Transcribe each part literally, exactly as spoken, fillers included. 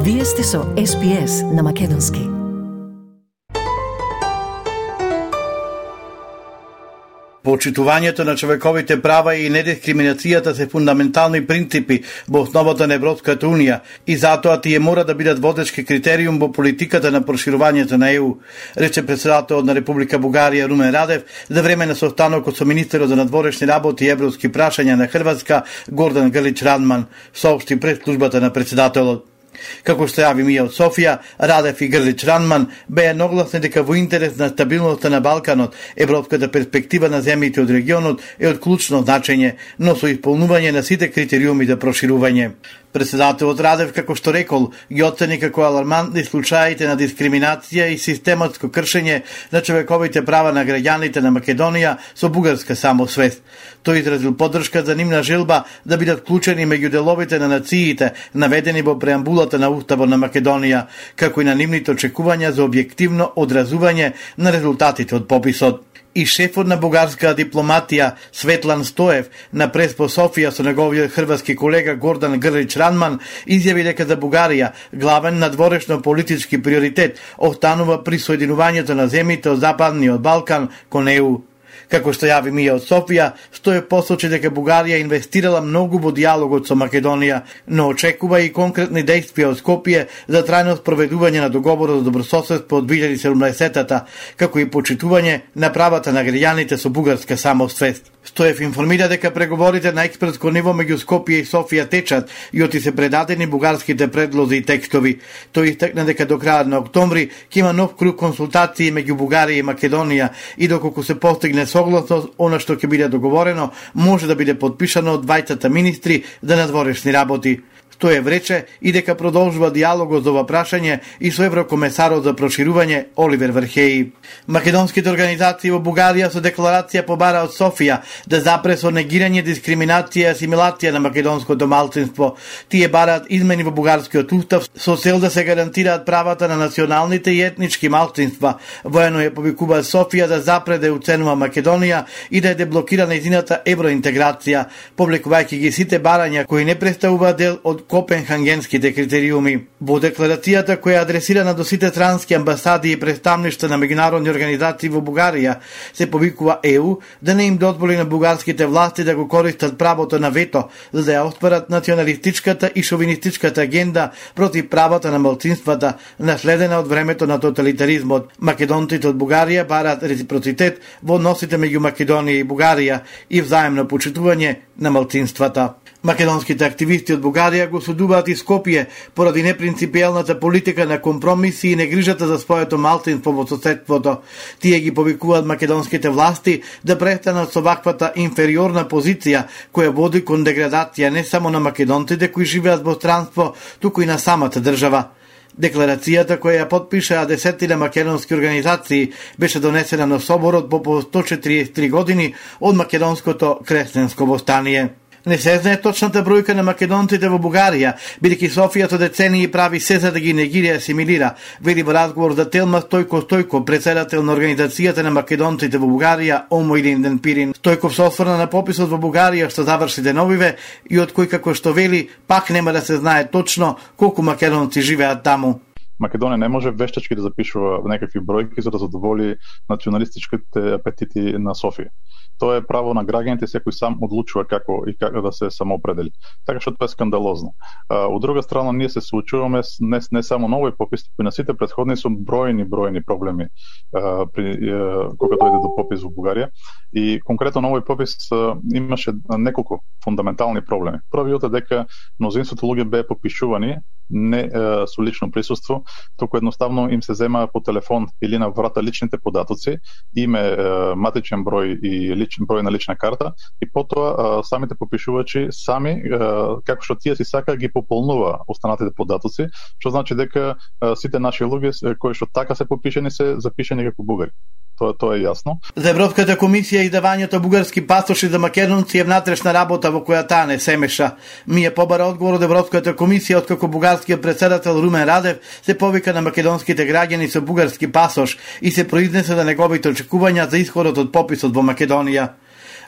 Вие сте со Ес Би Ес на Македонски. Почитувањето на човековите права и недискриминацијата се фундаментални принципи во основата на Европската Унија и затоа тие мора да бидат водечки критериум во политиката на проширувањето на Е У, рече председателот на Република Бугарија Румен Радев за време на состанокот со министерот за надворешни работи и европски прашања на Хрватска Гордан Грлич Радман, соопшти пред службата на председателот. Како што јави Мија од Софија, Радев и Грлич Радман беа едногласни дека во интерес на стабилноста на Балканот, европската перспектива на земјите од регионот е од клучно значење, но со исполнување на сите критериуми за проширување. Председателот Радев, како што рекол, ги оцени како алармантни случаите на дискриминација и систематско кршење на човековите права на граѓаните на Македонија со бугарска самосвест. Тој изразил поддршка за нивна желба да бидат вклучени меѓу деловите на нациите, наведени во преамбулата на Уставот на Македонија, како и на нивните очекувања за објективно одразување на резултатите од пописот. И шефот на бугарска дипломатија Светлан Стоев на прес по Софија со неговиот хрватски колега Гордан Грлич Радман изјави дека за Бугарија главен надворешно политички приоритет останува присоединувањето на земјите од Западниот Балкан кон Е У. Како што јави Мија од Софија, Стоев посочи дека Бугарија инвестирала многу во диалогот со Македонија, но очекува и конкретни действија од Скопје за трајно спроведување на договорот за добрососедство од две илјади и седумнаесетта, како и почитување на правата на граѓаните со бугарска самосвест. Стоев информира дека преговорите на експертско ниво меѓу Скопје и Софија течат и оти се предадени бугарските предлози и текстови. Тој истакна дека до крајот на октомври ќе има нов круг консултации меѓу Бугарија и Македонија и доколку се постигне согласност, она што ќе биде договорено може да биде подпишано од двајцата министри за надворешни работи. Стоев рече и дека продолжува диалогот за ова прашање и со еврокомесарот за проширување Оливер Вархеи. Македонските организации во Бугарија со декларација побара од Софија да запре со негирање, дискриминација и асимилација на македонското малцинство. Тие бараат измени во бугарскиот устав со цел да се гарантираат правата на националните и етнички малцинства. Воено ја повикува Софија да запре да уценува Македонија и да ја деблокира нејзината евроинтеграција, повлекувајќи ги сите барања кои не представуваат дел од Копенхагенските критериуми. Во декларацијата која е адресирана до сите странски амбасади и представништва на меѓународни организации во Бугарија се повикува Е У да не им дозволи на бугарските власти да го користат правото на вето за да ја остварат националистичката и шовинистичката агенда против правата на малцинствата, наследена од времето на тоталитаризмот. Македонците од Бугарија бараат реципроцитет во односите меѓу Македонија и Бугарија и взаемно почитување на малцинствата. Македонските активисти од Бугарија го осудуваат и Скопје поради непринципиелната политика на компромиси и негрижата за своето малцинство во соседството. Тие ги повикуваат македонските власти да престанат со ваквата инфериорна позиција која води кон деградација не само на македонците кои живеат во странство, туку и на самата држава. Декларацијата која ја потпишаа десетина македонски организации беше донесена на соборот по сто четириесет и три години од македонското кресленско востание. Не се знае точната бројка на македонците во Бугарија, бидејќи Софија со децении прави се за да ги негира и асимилира, вели во разговор за Телма Стојко Стојко, председател на Организацијата на македонците во Бугарија, Омо Илинден Пирин. Стојков се осврна на пописот во Бугарија што заврши деновиве и од кој, како што вели, пак нема да се знае точно колку македонци живеат таму. Македонија не може вештачки да запишува некакви бројки за да задоволи националистичките апетити на Софија. Тоа е право на граѓаните, секој сам одлучува како и како да се самоопредели. Така што тоа е скандалозно. Од друга страна, ние се соочуваме не, не само на овој попис, но и на сите претходни со бројни бројни проблеми а, при а, кога дојде до попис во Бугарија. И конкретно на овој попис а, имаше неколку фундаментални проблеми. Првиот е дека мнозинството луѓе беа попишувани не а, со лично присуство, току едноставно им се зема по телефон или на врата личните податоци, име, а, матичен број и личен број на лична карта, и потоа а, самите попишувачи сами, а, како што тие си сака, ги пополнува останатите податоци, што значи дека а, сите наши луѓе кои што така се попишени се запишени како бугари. Тоа, тоа е јасно. За Европската комисија издавањето бугарски пасоши за македонци е внатрешна работа во која таа не се меша. Ми е побара одговор од Европската комисија откако бугарскиот председател Румен Радев се повика на македонските граѓани со бугарски пасош и се произнесе за неговите очекувања за исходот од пописот во Македонија.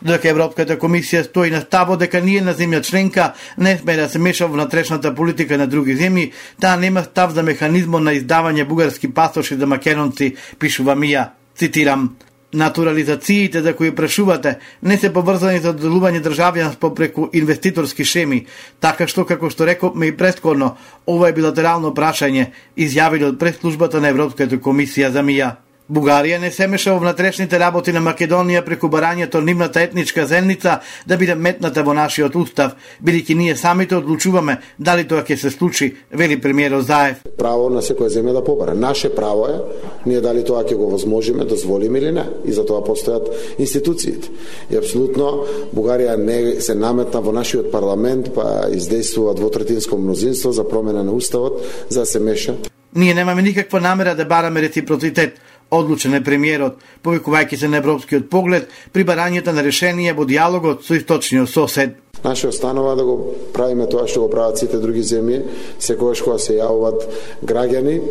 Додека Европската комисија стои на ставот дека ние на земја членка не сме да се меша во внатрешната политика на други земји, таа нема став за механизмот на издавање бугарски пасоши за македонци, пишува Мија. Цитирам: Натурализациите за кои прашувате не се поврзани за доделување државјанство преку инвеститорски шеми, така што, како што рековме и претходно, ова е билатерално прашање, изјавили од пресслужбата на Европската комисија за Мија. Бугарија не се меша во внатрешните работи на Македонија преку барањето нивната етничка земница да биде метната во нашиот устав, бидејќи ние самите одлучуваме дали тоа ќе се случи, вели премиерот Заев. Право на секоја земја да побара. Наше право е, ние дали тоа ќе го возможиме, дозволиме или не. И за тоа постојат институциите. И апсолутно Бугарија не се наметна во нашиот парламент, па издействува двотретинско мнозинство за промена на уставот, за да се меша. Ние немаме никаква намера да бараме реципроцитет, одлучен е премиерот, повикувајќи се на европскиот поглед при барањето на решение во диалогот со источниот сосед. Наше останува да го правиме тоа што го прават сите други земји, секогаш кога се јавуваат граѓани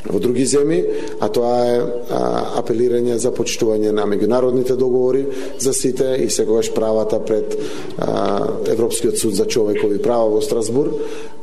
во други земји, а тоа е а, апелирање за почитување на меѓународните договори за сите и секогаш правата пред а, Европскиот суд за човекови права во Страсбург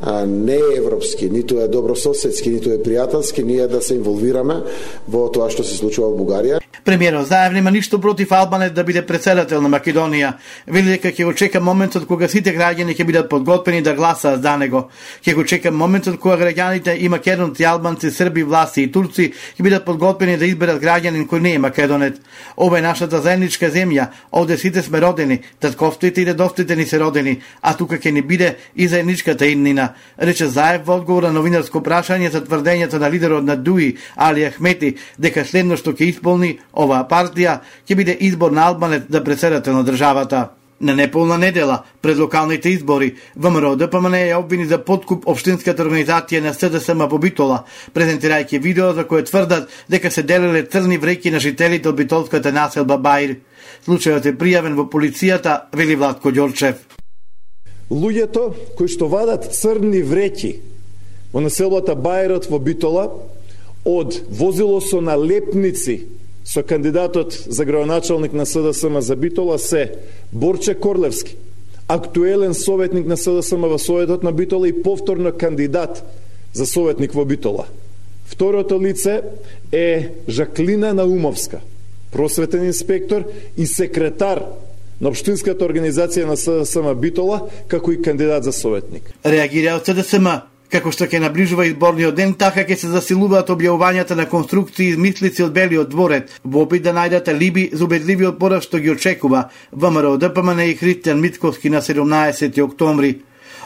а, не е европски, ниту е добрососедски, ниту е пријателски, ние да се инволвираме во тоа што се случува во Бугарија. Премиерот Заев нема ништо против Албанец да биде председател на Македонија. Вели дека ќе го чека моментот кога сите граѓани ќе бидат подготвени да гласаат за него. Ќе го чека моментот кога граѓаните и македонци, албанци, срби, власти и турци ќе бидат подготвени да изберат граѓанин кој не е македонец. Ова е нашата заедничка земја, овде сите сме родени, татковствите и дедовците ни се родени, а тука ќе ни биде и заедничката иднина, рече Заев во одговор на новинарско прашање за тврдењето на лидерот на Дуи, Али Ахмети, дека следно што ќе исполни оваа партија ќе биде избор на Албанец за председател на државата. На неполна недела, пред локалните избори, ВМРО Д П М Н е обвини за подкуп општинската организација на С Д С М во Битола, презентирајќи видео за кое тврдат дека се делеле црни вреќи на жителите од битолската населба Баир. Случајот е пријавен во полицијата, вели Владко Ѓорчев. Луѓето кои што вадат црни вреќи во населбата Бајрот во Битола од возило со налепници со кандидатот за градоначалник на С Д С М за Битола се Борче Корлевски, актуелен советник на С Д С М во Советот на Битола и повторно кандидат за советник во Битола. Второто лице е Жаклина Наумовска, просветен инспектор и секретар на општинската организација на С Д С М Битола, како и кандидат за советник. Реагира од С Д С М. Како што ќе наближува изборниот ден, така ќе се засилуваат објавувањата на конструкции и измислици од Белиот дворец, во опит да најдат алиби за убедливиот пораз што ги очекува ВМРО Д П М Н и Христијан Мицковски на седумнаесети октомври.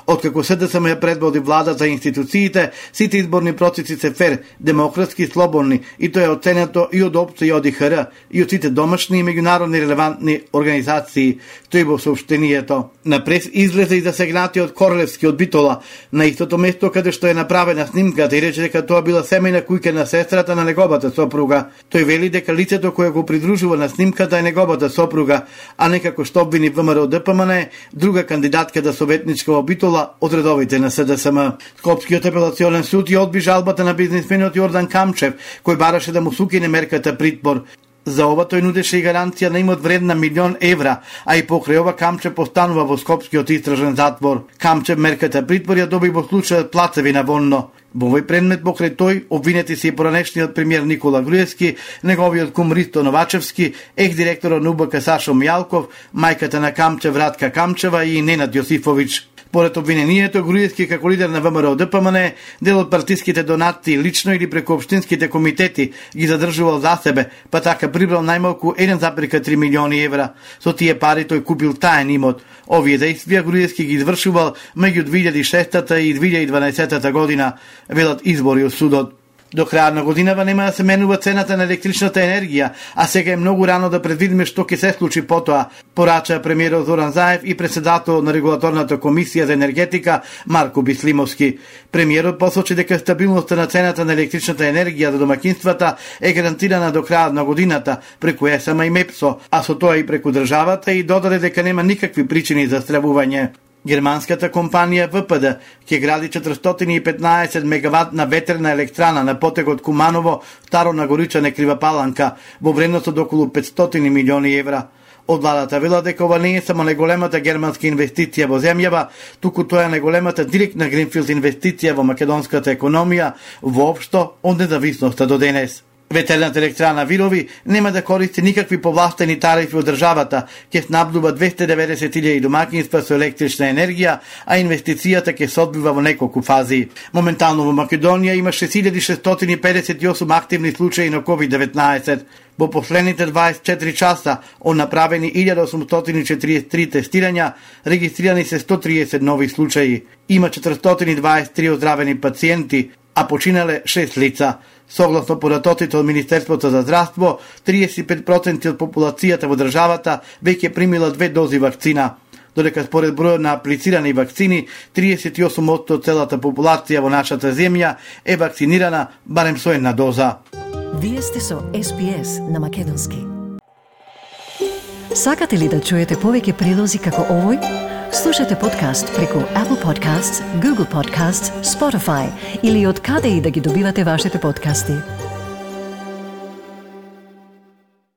Откако С Д С М ја предводи владата и институциите, сите изборни процеси се фер, демократски и слободни, и тоа е оценето и од ОПЦ и од И Х Р, и од сите домашни и меѓународни релевантни организации, стои во соопштението. На прес излезе и засегнатиот Корлевски од Битола, на истото место каде што е направена снимката, и рече дека тоа била семејна куќа на сестрата на неговата сопруга. Тој вели дека лицето кое го придружува на снимката е неговата сопруга, а не како што обвини ВМРО Д П М Н, друга кандидатка за советничка во Битола од редовите на С Д С М. Скопскиот апелационен суд ја одби жалбата на бизнисменот Јордан Камчев, кој бараше да му сукине мерката притвор. За ова тој нудеше и гаранција на имот вредна милион евра, а и покрај ова Камчев постанува во Скопскиот истражен затвор. Камчев мерката притвор ја доби во случајот Плацевина вонно. Во овој предмет покрај тој обвинети се и поранешниот премиер Никола Груевски, неговиот кум Ристо Новачевски, екс-директорот на У Б К Сашо Мијалков, мајката на Камчев Радка Камчева и Ненад Јосифовиќ. Според обвинението, Груевски како лидер на ВМРО Д П М Н дел од партиските донации лично или преку општинските комитети ги задржувал за себе, па така прибрал најмалку еден зарез три милиони евра. Со тие пари тој купил таен имот. Овие действија Груевски ги извршувал меѓу две илјади и шеста и две илјади и дванаесета година, велат избори од судот. До крајот на годинава нема да се менува цената на електричната енергија, а сега е многу рано да предвидиме што ќе се случи потоа, порача премиерот Зоран Заев и председател на регулаторната комисија за енергетика Марко Бислимовски. Премиерот посочи дека стабилноста на цената на електричната енергија за домаќинствата е гарантирана до крајот на годината преку Е С М и Мепсо, а со тоа и преку државата, и додаде дека нема никакви причини за стравување. Германската компанија В П Д ќе гради четиристотини и петнаесет мегаватна ветерна електрана на потегот Куманово, Старо Нагоричане, Крива Паланка, во вредност од околу петстотини милиони евра. Од владата велат дека ова не е само најголемата германска инвестиција во земјава, туку тоа е најголемата директна гринфилд инвестиција во македонската економија воопшто од независноста до денес. Ветерната електрана Вирови нема да користи никакви повластени тарифи од државата, ќе снабдува двесте и деветдесет илјади домаќинства со електрична енергија, а инвестицијата ќе се одвива во неколку фази. Моментално во Македонија има шест илјади шестстотини и педесет и осум активни случаи на ковид деветнаесет. Во последните дваесет и четири часа од направени илјада осумстотини и четириесет и три тестирања, регистрирани се сто триесет нови случаи. Има четиристотини и дваесет и три оздравени пациенти, а починале шест лица. Согласно податоците од Министерството за здравство, триесет и пет проценти од популацијата во државата веќе примила две дози вакцина, додека според бројот на аплицирани вакцини, триесет и осум проценти од целата популација во нашата земја е вакцинирана барем со една доза. Вие сте со Ес Би Ес на Македонски. Сакате ли да чуете повеќе прилози како овој? Слушате подкаст преку Apple Podcasts, Google Podcasts, Spotify или од каде и да ги добивате вашите подкасти.